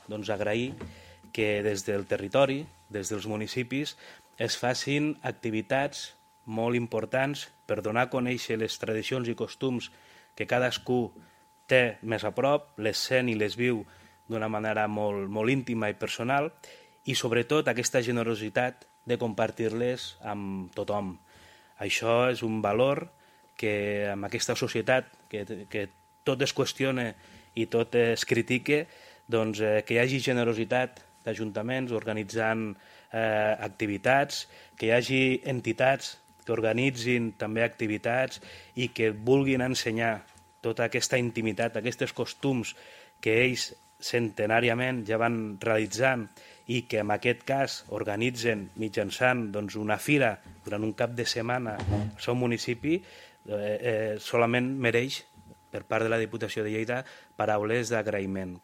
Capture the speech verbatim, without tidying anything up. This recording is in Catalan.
doncs, agrair que des del territori, des dels municipis, es facin activitats molt importants per donar a conèixer les tradicions i costums que cadascú té més a prop, les sent i les viu d'una manera molt, molt íntima i personal, i sobretot aquesta generositat de compartir-les amb tothom. Això és un valor que en aquesta societat que, que tot es qüestiona i tot es critica, doncs, eh, que hi hagi generositat d'ajuntaments organitzant eh, activitats, que hi hagi entitats que organitzin també activitats i que vulguin ensenyar tota aquesta intimitat, aquests costums que ells centenàriament ja van realitzant i que en aquest cas organitzen mitjançant doncs, una fira durant un cap de setmana al seu municipi, eh, eh, solament mereix per part de la Diputació de Lleida paraules d'agraïment.